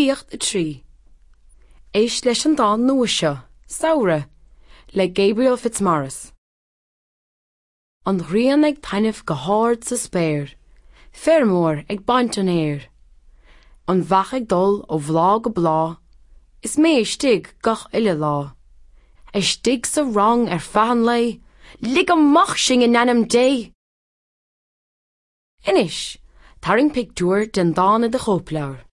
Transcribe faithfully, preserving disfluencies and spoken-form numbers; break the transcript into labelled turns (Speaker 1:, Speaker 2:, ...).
Speaker 1: Filíocht a trí. Éist leis an dán nua seo, Samhradh, le Gabriel Fitzmaurice. An ghrian ag taitneamh go hard sa spéir, feirmeoir ag baint an fhéir. An bheach ag dul ó bhláth go bláth, is mé istigh gach uile lá. Istigh sa rang ar feadh an lae, lig amach sinn in ainm Dé! Anois, tarraing pictiúr den dán i do chóipleabhar.